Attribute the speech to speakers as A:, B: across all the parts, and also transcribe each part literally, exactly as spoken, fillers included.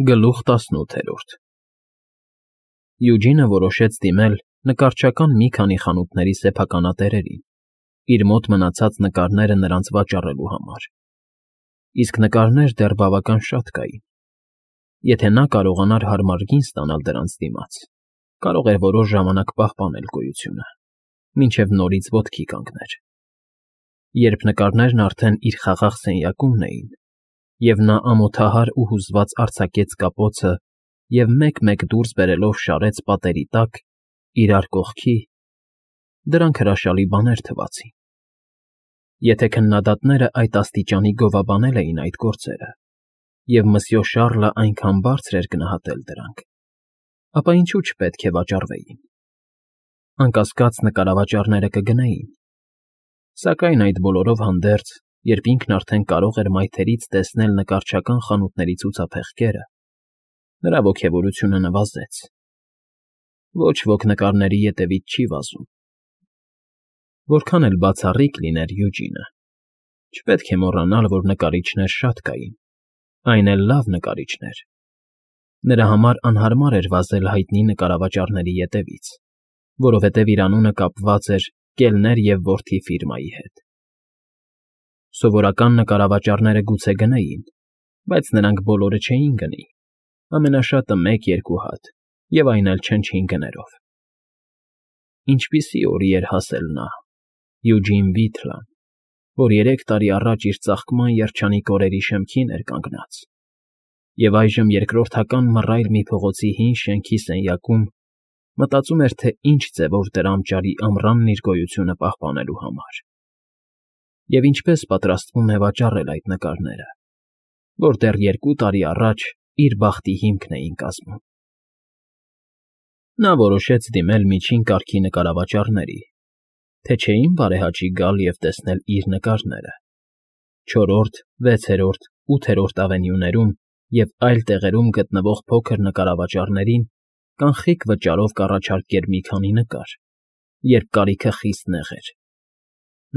A: Գլուխ տասնութ Յուջինը որոշեց դիմել նկարչական մի քանի խանութների սեփականատերերին, իր մոտ մնացած նկարները նրանց վաճառելու համար, իսկ նկարներ դեռ բավական շատ կային. եթե նա կարողանար հարմար գին ստանալ դրանց դիմաց, կարող էր որոշ ժամանակ պահպանել գոյությունը, մինչև նորից ոտքի կանգներ, երբ նկարներն արդեն իր խաղաղ սենյակումն էին, և նա ամոթահար ու հուզված արձակեց կապոցը և մեկ֊մեկ դուրս բերելով շարեց պատերի տակ, իրար կողքի, դրանք հրաշալի բաներ թվացին. եթե քննադատները այդ աստիճանի գովաբանել էին այդ գործերը, և մսյո Շառլը այնքան բարձր էր գնահատել դրանք, ապա ինչու չպետք է վաճառվեին. անկասկած, նկարավաճառները կգնեին, սակայն այդ բոլորով հանդերձ, երբ ինքն արդեն կարող էր մայթերից տեսնել նկարչական խանութների ցուցափեղկերը, նրա ոգևորությունը նվազեց. ոչ ոք նկարների ետևից չի վազում. որքան էլ բացառիկ լիներ Յուջինը, չպետք է մոռանալ, որ նկարիչներ շատ կային, այն էլ լավ նկարիչներ, նրա համար անհարմար էր վազել հայտնի նկարավաճառների ետևից, որովհետև իր անունը կապված էր Կելներ և որդի ֆիրմայի հետ. սովորական նկարավաճառները գուցե գնեին, բայց նրանք բոլորը չէին գնի, ամենաշատը մեկ֊երկու հատ, և այն էլ չնչին գներով. ինչպիսի օրի էր հասել նա, Յուջին Վիթլան, որ երեք տարի առաջ իր ծաղկման երջանիկ օրերի շեմքին էր կանգնած, և այժմ երկրորդական մռայլ մի փողոցի հին շենքի սենյակում մտածում էր, թե ինչ ձևով դրամ ճարի ամռանն իր գոյությունը պահպանելու համար, և ինչպես պատրաստվում է վաճառել այդ նկարները, որ դեռ երկու տարի առաջ իր բախտի հիմքն էին կազմում. նա որոշեց դիմել միջին կարգի նկարավաճառների, թե չէին բարեհաճի գալ և տեսնել իր նկարները չորրորդ, վեցերորդ, ութերորդ ավենյուներում և այլ տեղերում գտնվող փոքր նկարավաճառներին կանխիկ վճարով կառաջարկեր մի քանի նկար, երբ կարիքը խիստ նեղ էր.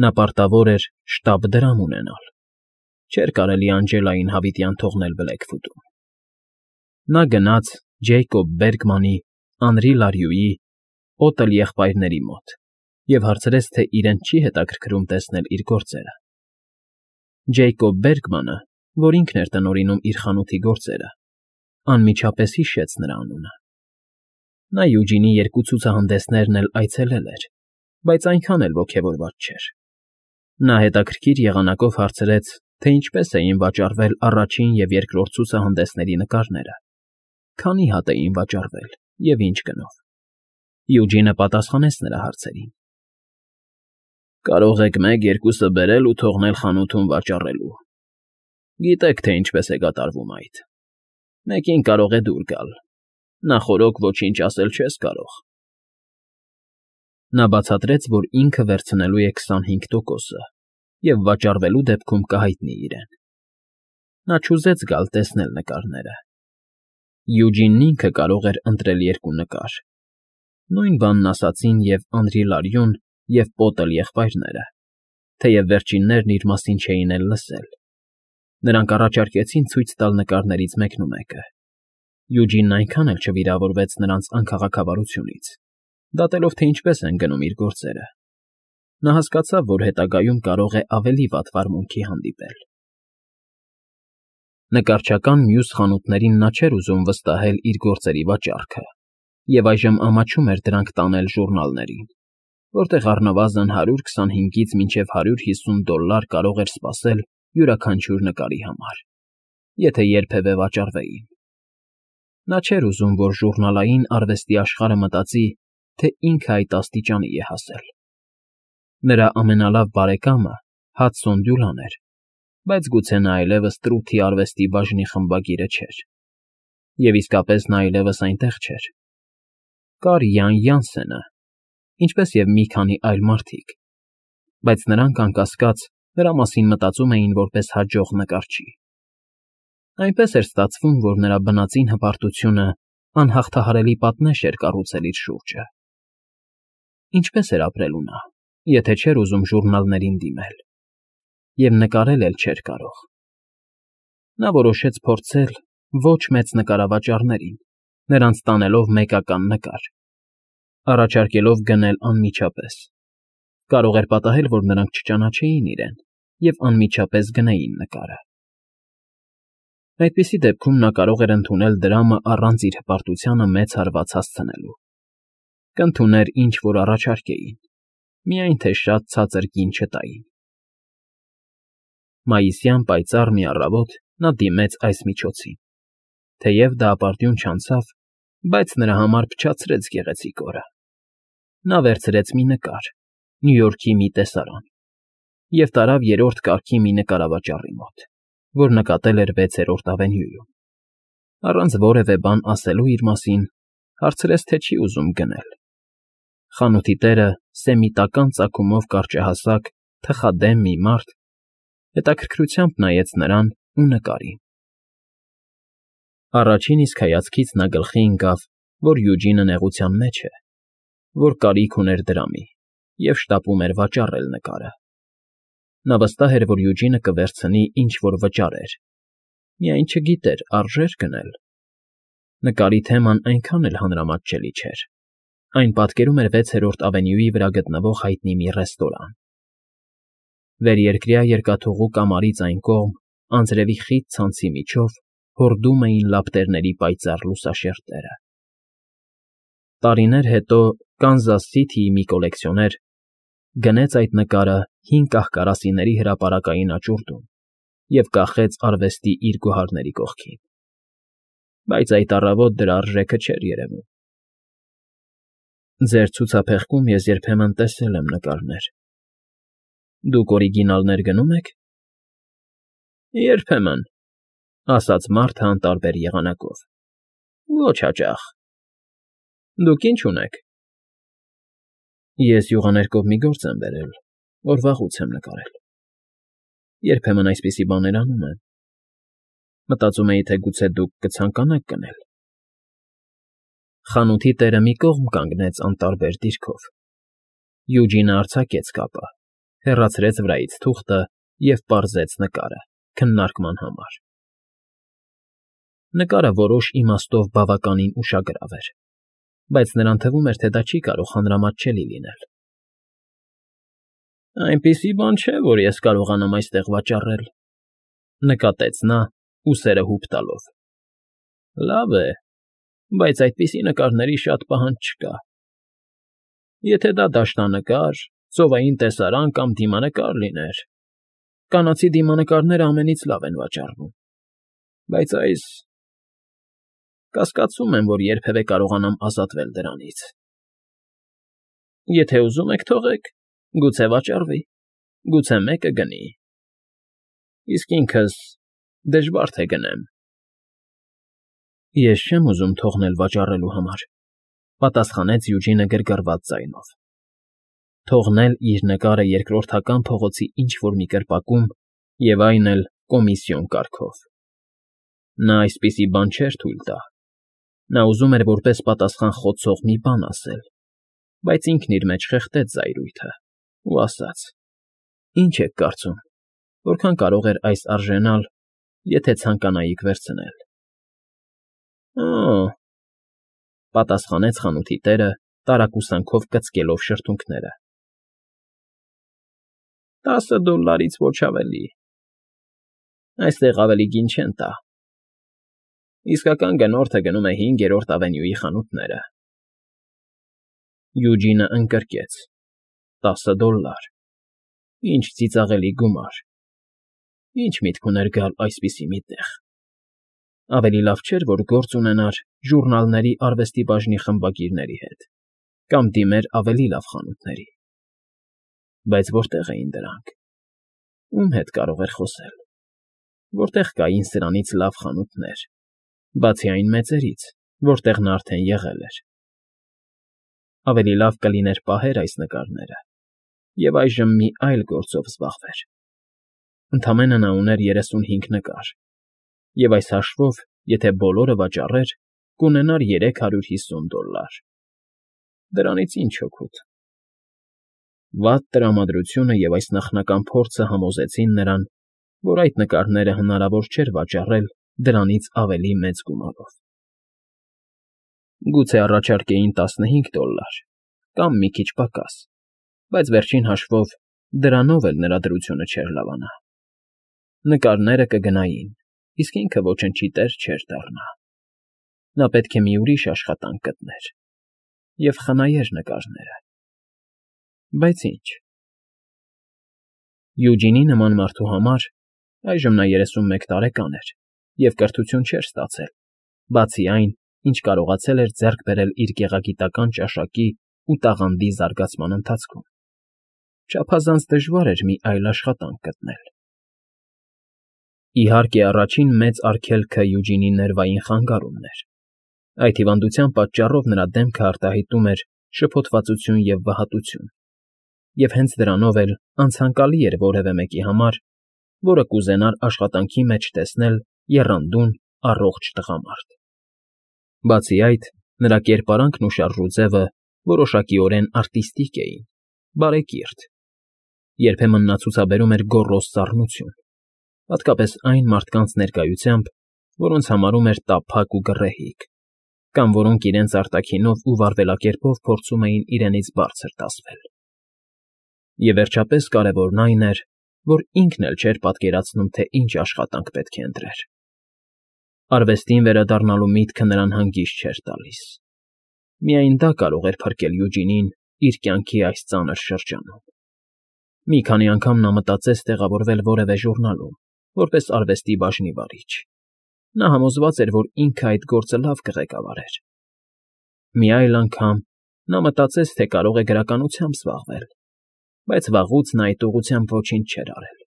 A: նա պարտավոր էր շտապ դրամ ունենալ, չէր կարելի Անջելային հավիտյան թողնել Բլեքֆուտում. նա գնաց Ջեյկոբ Բերգմանի, Անրի Լարյուի, Պոտլ եղբայրների մոտ և հարցրեց, թե իրեն չի հետաքրքրում տեսնել իր գործերը. Ջեյկոբ Բերգմանը, որ ինքն էր տնօրինում իր խանութի գործերը, անմիջապես հիշեց նրա անունը. նա Յուջինի երկու ցուցահանդեսներն էլ այցելել էր, բայց այնքան էլ ոգևորված չէր. նա հետաքրքիր եղանակով հարցրեց, թե ինչպես էին վաճառվել առաջին և երկրորդ ցուցահանդեսների նկարները, քանի հատ էին վաճառվել և ինչ գնով. Յուջինը պատասխանեց նրա հարցերին. Կարող եք մեկ֊երկուսը բերել ու թողնել խանութում վաճառելու, գիտեք, թե ինչպես է կատարվում այդ, մեկին կարող է դուր գալ, նախօրոք ոչինչ ասել չես կարող. Նա բացատրեց, որ ինքը վերցնելու է քսանհինգ տոկոսը և վաճառվելու դեպքում կհայտնի իրեն. նա չուզեց գալ տեսնել նկարները. Յուջինն ինքը կարող էր ընտրել երկու նկար, նույն բանն ասացին և Անրի Լարյուն, և Պոտլ եղբայրները, թեև վերջիններն իր մասին չէին էլ լսել. նրանք առաջարկեցին ցույց տալ նկարներից մեկնումեկը. Յուջինն այնքան էլ չվիրավորվեց նրանց անքաղաքավարությունից, դատելով, թե ինչպես են գնում իր գործերը. նա հասկացավ, որ հետագայում կարող է ավելի վատ վարմունքի հանդիպել. Նկարչական մյուս խանութներին նա չէր ուզում վստահել իր գործերի վաճառքը և այժմ ամաչում էր դրանք տանել ժուռնալներին, որտեղ առնվազն հարյուր քսանհինգից մինչև հարյուր հիսուն դոլլար կարող էր սպասել յուրաքանչյուր նկարի համար, եթե երբևէ վաճառվեին. նա չէր ուզում, որ ժուռնալային արվեստի աշխարհը մտածի, թե ինքը այդ աստիճանի է հասել. նրա ամենալավ բարեկամը Հադսոն Դյուլան էր, բայց գուցե նա այլևս Տրութի արվեստի բաժնի խմբագիրը չէր, և իսկապես նա այլևս այնտեղ չէր. կար Յան Յանսենը, ինչպես և մի քանի այլ մարդիկ, բայց նրանք, անկասկած, նրա մասին մտածում էին որպես հաջող նկարչի. այնպես էր ստացվում, որ նրա բնածին հպարտությունը անհաղթահարելի պատնեշ էր կառուցել իր շուրջը. ինչպես էր ապրելու նա, եթե չէր ուզում ժուռնալներին դիմել, և նկարել էլ չէր կարող. նա որոշեց փորձել, ոչ մեծ նկարավաճառներին, նրանց տանելով մեկական նկար, առաջարկելով գնել անմիջապես. կարող էր պատահել, որ նրանք չճանաչեին իրեն և անմիջապես գնեին նկարը։ Այդպիսի դեպքում նա կարող էր ընդունել դրամը առանց իր հպարտությանը մեծ հարված հասցնելու, կընդուներ ինչ֊որ առաջարկեին, միայն թե շատ ցածր գին չտային։ Մայիսյան պայծառ մի առավոտ նա դիմեց այս միջոցին, թեև դա ապարդյուն չանցավ, բայց նրա համար փչացրեց գեղեցիկ օրը։ Նա վերցրեց մի նկար Նյու Յորքի մի տեսարան և տարավ երրորդ կարգի մի նկարավաճառի մոտ, որ նկատել էր վեցերորդ ավենյուում, առանց որևէ բան ասելու իր մասին, հարցրեց, թե չի ուզում գնել։ Խանութի տերը, սեմիտական ծագումով կարճահասակ, թխադեմ մի մարդ, հետաքրքրությամբ նայեց նրան ու նկարին։ Առաջին իսկ հայացքից նա գլխի ընկավ, որ Յուջինը նեղության մեջ է, որ կարիք ուներ դրամի և շտապում էր վաճառել նկարը։ Նա վստահ էր, որ Յուջինը կվերցնի ինչ֊որ վճարեր, միայն չգիտեր արժե՞ր գնել։ Նկարի թեման այնքան էլ հանրամատչելի չէր, այն պատկերում էր վեցերորդ ավենյուի վրա գտնվող հայտնի մի ռեստորան։ Վերերկրյա երկաթուղու կամարից այն կողմ, անձրևի խիտ ցանցի միջով, հորդում էին լապտերների պայծառ լուսաշերտերը։ Տարիներ հետո Կանզաս Սիթիի մի կոլեկցիոներ գնեց այդ նկարը հին կահ֊կարասիների հրապարակային աճուրդում և կախեց արվեստի իր գոհարների կողքին, բայց այդ առավոտ դրա արժեքը չէր երևում։ Ձեր ցուցափեղկում ես երբեմն տեսել եմ նկարներ։ Դուք օրիգինալներ գնո՞ւմ եք։ Երբեմն, ասաց մարդը անտարբեր եղանակով։ Ոչ հաճախ։ Դուք ի՞նչ ունեք։ Ես յուղաներկով մի գործ եմ բերել, որ վաղուց եմ նկարել։ Երբեմն այսպիսի բաներ անում եմ։ Մտածում էի, թե գուցե դուք կցանկանաք գնել։ Խանութի տերը մի կողմ կանգնեց անտարբեր դիրքով։ Յուջինը արձակեց կապը, հեռացրեց վրայից թուղթը և պարզեց նկարը, քննարկման համար։ Նկարը որոշ իմաստով բավականին ուշագրավ էր, բայց նրան թվում էր, թե դա չի կարող հանրամատչելի լինել։ Այնպիսի բան չէ, որ ես կարողանամ այստեղ վաճառել, նկատեց նա, ուսերը հուպ տալով։ Լավ է, բայց այդպիսի նկարների շատ պահանջ չկա։ Եթե դա դաշնանկար, ծովային տեսարան կամ դիմանկար լիներ, կանացի դիմանկարները ամենից լավ են վաճառվում, բայց այս… Կասկածում եմ, որ երբևէ կարողանամ ազատվել դրանից։ Եթե ուզում եք, թողեք, գուցե վաճառվի, գուցե մեկը գնի։ Իսկ ինքս դժվար թե գնեմ։ Ես չեմ ուզում թողնել վաճառելու համար, պատասխանեց Յուջինը գրգռված ձայնով։ Թողնել իր նկարը երկրորդական փողոցի ինչ֊որ մի կրպակում և այն էլ կոմիսիոն կարգով։ Նա այսպիսի բան չէր թույլ տա։ Նա ուզում էր որպես պատասխան խոցող մի բան ասել, բայց ինքն իր մեջ խեղդեց զայրույթը ու ասաց. Ինչ եք կարծում, որքան կարող էր այս արժենալ, եթե ցանկանայիք վերցնել։ Օ՜, պատասխանեց խանութի տերը, տարակուսանքով կծկելով շրթունքները։ Տասը դոլլարից ոչ ավելի։ Այստեղ ավելի գին չեն տա։ Իսկական գնորդը գնում է հինգերորդ ավենյուի խանութները։ Յուջինը ընկրկեց. Տասը դոլլար։ Ինչ ծիծաղելի գումար։ Ինչ միտք ուներ գալ այսպիսի մի տեղ։ Ավելի լավ չէր, որ գործ ունենար ժուռնալների արվեստի բաժնի խմբագիրների հետ կամ դիմեր ավելի լավ խանութների։ Բայց որտե՞ղ էին դրանք։ Ում հետ կարող էր խոսել։ Որտեղ կային սրանից լավ խանութներ, բացի այն մեծերից, որտեղ նա արդեն եղել էր։ Ավելի լավ կլիներ պահեր այս նկարները և այժմ մի այլ գործով զբաղվեր։ Ընդամենը նա ուներ երեսունհինգ նկար, և այս հաշվով, եթե բոլորը վաճառեր, կունենար երեք հարյուր հիսուն դոլլար։ Դրանից ինչ օգուտ։ Վատ տրամադրությունը և այս նախնական փորձը համոզեցին նրան, որ այդ նկարները հնարավոր չէր վաճառել դրանից ավելի մեծ գումարով։ Գուցե առաջարկեին տասնհինգ դոլլար կամ մի քիչ պակաս, բայց վերջին հաշվով դրանով էլ նրա դրությունը չէր լավանա։ Նկարները կգնային, իսկ ինքը ոչնչի տեր չէր դառնա։ Նա պետք է մի ուրիշ աշխատանք գտներ և խնայեր նկարները։ Բայց ինչ։ Յուջինի նման մարդու համար (այժմ նա երեսունմեկ տարեկան էր և կրթություն չէր ստացել, բացի այն, ինչ կարողացել էր ձեռք բերել իր գեղագիտական ճաշակի ու տաղանդի զարգացման ընթացքում) չափազանց դժվար էր մի այլ աշխատանք գտնել։ Իհարկե, առաջին մեծ արգելքը Յուջինի ներվային խանգարումն էր։ Այդ հիվանդության պատճառով նրա դեմքը արտահայտում էր շփոթվածություն և վհատություն, և հենց դրանով էլ անցանկալի էր որևէ մեկի համար, որը կուզենար աշխատանքի մեջ տեսնել եռանդուն, առողջ տղամարդ։ Բացի այդ, նրա կերպարանքն ու շարժուձևը որոշակիորեն արտիստիկ էին, բարեկիրթ. երբեմն նա ցուցաբերում էր գոռոզ սառնություն, հատկապես այն մարդկանց ներկայությամբ, որոնց համարում էր տափակ ու գռեհիկ, կամ որոնք իրենց արտաքինով ու վարվելակերպով փորձում էին իրենից բարձր տեսվել։ Եվ վերջապես կարևորն այն էր, որ ինքն էլ չէր պատկերացնում, թե ինչ աշխատանք պետք է ընտրեր։ Արվեստին վերադառնալու միտքը նրան հանգիստ չէր տալիս։ Միայն դա կարող էր փրկել Յուջինին իր կյանքի այս ծանր շրջանում։ Մի քանի անգամ նա մտածեց տեղավորվել որևէ ժուռնալում, որպես արվեստի բաժնի վարիչ։ Նա համոզված էր, որ ինքը այդ գործը լավ կղեկավարեր։ Մի այլ անգամ նա մտածեց, թե կարող է գրականությամբ զբաղվել, բայց վաղուց նա այդ ուղղությամբ ոչինչ չէր արել։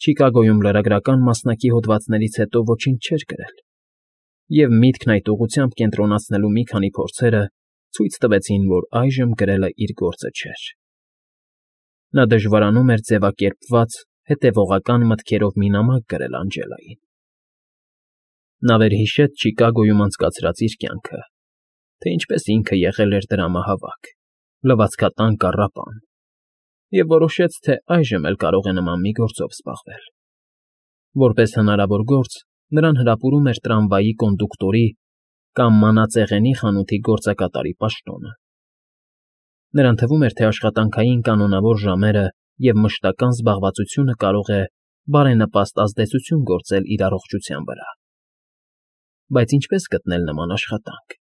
A: Չիկագոյում լրագրական մասնակի հոդվածներից հետո ոչինչ չէր գրել, և միտքն այդ ուղղությամբ կենտրոնացնելու մի քանի փորձերը ցույց տվեցին, որ այժմ գրելը իր գործը չէր։ Նա դժվարանում էր ձևակերպված, հետևողական մտքերով մի նամակ գրել Անջելային։ Նա վերհիշեց Չիկագոյում անցկացրած իր կյանքը, թե ինչպես ինքը եղել էր դրամահավաք, լվացքատան կառապան, և որոշեց, թե այժմ էլ կարող է նման մի գործով զբաղվել։ Որպես հնարավոր գործ նրան հրապուրում էր տրամվայի կոնդուկտորի կամ մանածեղենի խանութի գործակատարի պաշտոնը։ Նրան թվում էր, թե աշխատանքային կանոնավոր ժամերը և մշտական զբաղվածությունը կարող է բարենպաստ ազդեցություն գործել իր առողջության վրա։ Բայց ինչպե՞ս գտնել նման աշխատանք։